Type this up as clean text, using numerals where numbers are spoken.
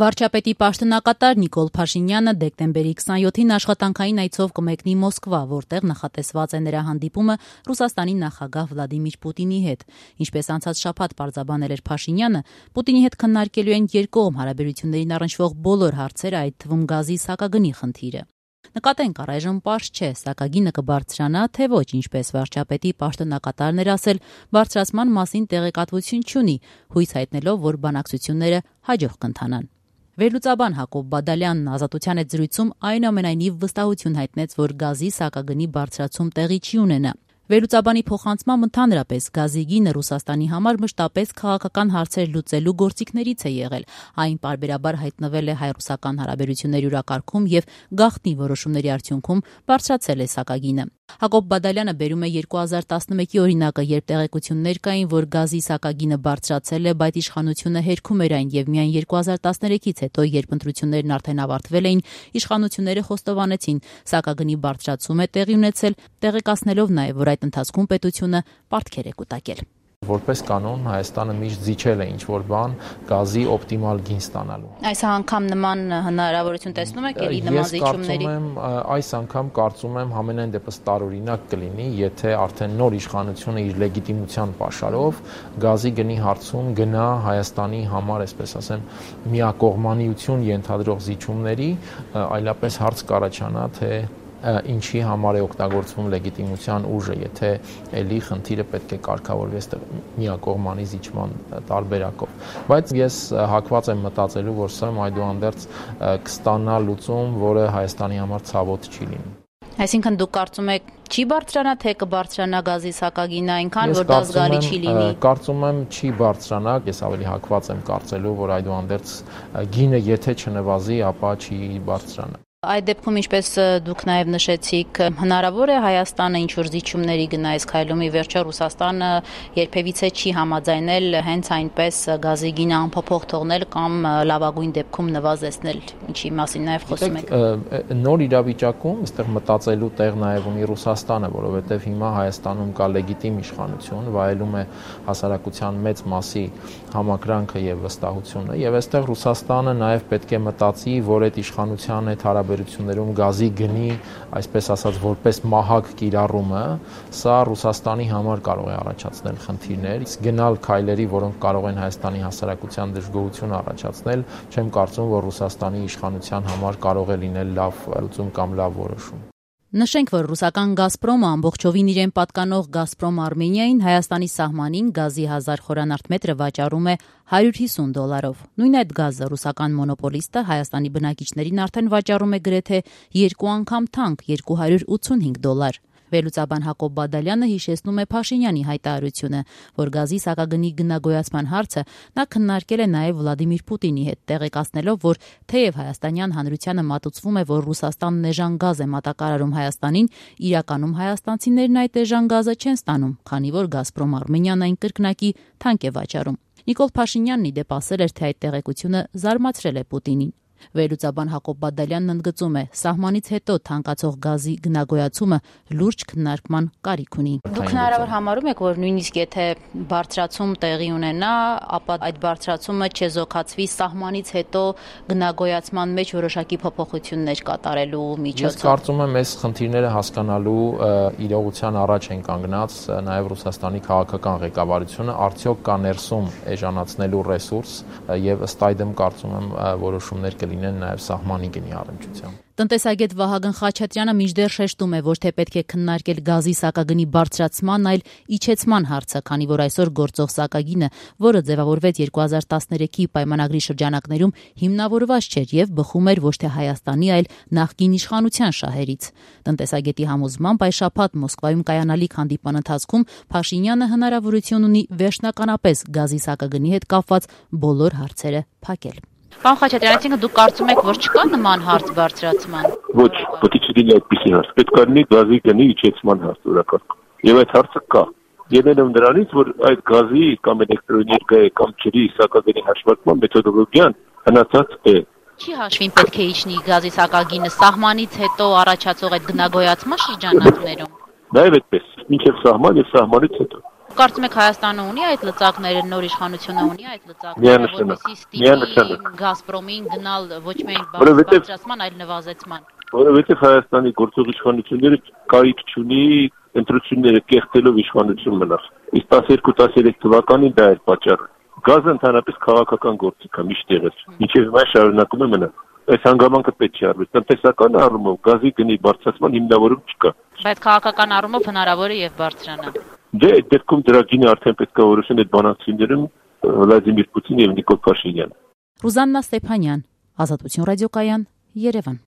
Վարչապետի պաշտոնակատար Նիկոլ Փաշինյանը դեկտեմբերի 27-ին աշխատանքային այցով կմեկնի Մոսկվա, որտեղ նախատեսված է նրա հանդիպումը Ռուսաստանի նախագահ Վլադիմիր Պուտինի հետ։ Ինչպես անցած շաբաթ պարզաբանել էր Փաշինյանը, Պուտինի հետ քննարկելու են երկկողմ հարաբերություններին առնչվող բոլոր հարցերը, այդ թվում գազի սակագնի խնդիրը։ Նկատենք, առայժմ պարզ չէ, սակագինը կբարձրանա, թե ոչ, ինչպես վարչապետի պաշտոնակատարն էր ասել, բարձրացման մասին տեղեկատվություն չունի, հույս հայտնելով, որ բանակցությունները հաջող կընթանան։ Վերլուծաբան Հակոբ Բադալյանն Ազատության հետ զրույցում այնուամենայնիվ վստահություն հայտնեց, որ գազի սակագնի բարձրացում տեղի չի ունենա։ Վերլուծաբանի փոխանցմամբ ընդհանրապես գազի գինը Ռուսաստանի համար մշտապես քաղաքական հարցեր լուծելու գործիքներից է եղել։ Այն պարբերաբար հայտնվել է հայ-ռուսական հարաբերությունների յուրակարգում եւ գաղտնի որոշումների արդյունքում բարձրացել է սակագինը։ Հակոբ Բադալյանը բերում է 2011-ի օրինակը, երբ տեղեկություններ կային, որ գազի սակագինը բարձրացել է, բայց իշխանությունը հերքում էր այն եւ միայն 2013-ից հետո, երբ ընտրություններն արդեն ավարտվել էին, իշխանությունները խոստովանեցին, սակագնի բարձրացում է տեղի ունեցել, տեղեկացնելով նաեւ, որ այդ ընթացքում պետությունը պարտքեր է կուտակել։ Որպես կանոն Հայաստանը միշտ զիջել է ինչ-որ բան գազի օպտիմալ գին ստանալու։ Այս անգամ նման հնարավորություն տեսնում եք էլի նման զիջումների։ Այս անգամ կարծում եմ համենայն դեպս տարօրինակ կլինի, եթե արդեն նոր իշխանությունը իր լեգիտիմության պաշարով գազի գնի հարցում գնա Հայաստանի համար, այսպես ասեմ, միակողմանիություն ենթադրող զիջումների, այլապես հարց կառաջանա, թե ինչի համար է օգտագործվում լեգիտիմության ուժը, եթե էլի խնդիրը պետք է կարգավորվի այստեղ միակողմանի զիջման տարբերակով։ Բայց ես հակված եմ մտածելու, որ սա այդուհանդերձ կստանա լուծում, որը Հայաստանի համար ցավոտ չի լինի։ Այսինքն դուք կարծում եք չի բարձրանա, թե կբարձրանա գազի սակագինը այնքան, որ դա զգալի չի լինի։ Կարծում եմ չի բարձրանա, ես ավելի հակված եմ կարծելու, որ այդուհանդերձ գինը եթե չնվազի, ապա չի բարձրանա։ Այդ դեպքում, ինչպես դուք նաև նշեցիք, հնարավոր է Հայաստանը ինչ-որ զիջումների գնա այս քայլումի վերջը Ռուսաստանը երբևիցե չի համաձայնել հենց այնպես գազի գինը անփոփոխ թողնել կամ լավագույն դեպքում նվազեցնել, ինչի մասին նաև խոսում եք։ Նոր իրավիճակում այստեղ մտածելու տեղ նաև ունի Ռուսաստանը, որովհետև հիմա Հայաստանում կա լեգիտիմ իշխանություն, վայելում է հասարակության մեծ մասի համակրանքը եւ վստահությունը, եւ այստեղ Ռուսաստանը նաև պետք է մտածի, որ այդ իշխանության հետ հարաբերություններում գազի գնի, այսպես ասած, որպես մահակ կիրառումը, սա Ռուսաստանի համար կարող է առաջացնել խնդիրներ, գնալ քայլերի, որոնք կարող են Հայաստանի հասարակության դժգոհություն առաջացնել, չեմ կարծում, որ Ռուսաստանի իշխանության համար կարող է լինել լավ լուծում կամ լավ որոշում։ Նշենք, որ ռուսական Գազպրոմը ամբողջովին իրեն պատկանող Գազպրոմ Արմենիային Հայաստանի սահմանին գազի 1000 խորանարդ մետրը վաճառում է $150։ Նույն այդ գազը ռուսական մոնոպոլիստը Հայաստանի բնակիչներին արդեն վաճառում է գրեթե 2 անգամ թանկ $285։ Վերլուծաբան Հակոբ Բադալյանը հիշեցնում է Փաշինյանի հայտարարությունը, որ գազի սակագնի գնագոյացման հարցը նա քննարկել է նաև Վլադիմիր Պուտինի հետ, տեղեկացնելով, որ թեև հայաստանյան հանրությանը մատուցվում է, որ Ռուսաստանն էժան գազ է մատակարարում Հայաստանին, իրականում հայաստանցիներն այդ էժան գազը չեն ստանում, քանի որ Գազպրոմ Արմենիան այն կրկնակի թանկ է վաճառում։ Նիկոլ Փաշինյանն ի դեպ ասել էր, թե այդ տեղեկությունը զարմացրել է Պուտինին։ Վերլուծաբան Հակոբ Բադալյանն ընդգծում է, սահմանից հետո թանկացող գազի գնագոյացումը լուրջ քննարկման կարիք ունի։ Դուք հնարավոր համարում եք, որ նույնիսկ եթե բարձրացում տեղի ունենա, ապա այդ բարձրացումը չեզոքացվի սահմանից հետո գնագոյացման մեջ որոշակի փոփոխություններ կատարելու միջոցով։ Ես կարծում եմ, այս խնդիրները հասկանալու իրողության առաջ են կանգնած նաև Ռուսաստանի քաղաքական ղեկավարությունը, արդյոք կա ներսում էժանացնելու ռեսուրս եւ ըստ այդմ կարծում եմ որոշումներ լինեն նաև սահմանի գնի առնչությամբ։ Տնտեսագետ Վահագն Խաչատրյանը մինչդեռ շեշտում է, որ թե պետք է քննարկել գազի սակագնի բարձրացման, այլ իջեցման հարցը, քանի որ այսօր գործող սակագինը, որը ձևավորվեց 2013-ի պայմանագրի շրջանակներում, հիմնավորված չէր եւ բխում էր ոչ թե Հայաստանի, այլ նախկին իշխանության շահերից։ Տնտեսագետի համոզմամբ այս շաբաթ Մոսկվայում կայանալիք հանդիպման ընթացքում Փաշինյանը հնարավորություն ունի վերջնականապես գազի սակագնի հետ կապված բոլոր հարցերը փակել։ Պարոն Խաչատրյան, այսինքն դուք կարծում եք, որ չկա նման հարց բարձրացման։ Ոչ, պետք է չլինի այդպիսի հարց։ Պետք է լինի գազի գնի իջեցման հարց օրակարգ։ Եվ այդ հարցը կա։ Ելնելով դրանից, որ այդ գազի կամ էլեկտրոէներգիայի կամ ջրի սակագնի հաշվարկման մեթոդոլոգիան հնացած է։ Չի հաշվին պետք է իջնի գազի սակագինը սահմանից հետո առաջացող այդ գնագոյացման շրջանակներում։ Նաև այդպես, մինչև սահման եւ սահմանից հետո։ Կարծում եք Հայաստանը ունի այդ լծակները, նոր իշխանությունը ունի այդ լծակները, որպեսզի ստիպի Գազպրոմին գնալ ոչ միայն բարձրացման, այլ նվազեցման։ Որովհետև Հայաստանի գործող իշխանությունները կարիք չունի ընտրությունները կեղտելով իշխանություն մնալ։ Իսկ 12-13 թվականին դա էր պատճառը։ Գազը ընդհանրապես քաղաքական գործիք է միշտ եղել, մինչև հիմա շարունակում է մնալ։ Այս հանգամանքը պետք չի արվի։ Տնտեսական առումով գազի գնի բարձրացման հիմնավորում չկա։ Բայց քաղաքական առումով հնարավոր է եւ բարձրանա։ Դե այդ դեպքում դրա գինը արդեն պետք է որոշեն այդ բանակցություններում Վլադիմիր Պուտինը եւ Նիկոլ Փաշինյանը։ Ռուզաննա Ստեփանյան, Ազատություն ռադիոկայան, Երևան։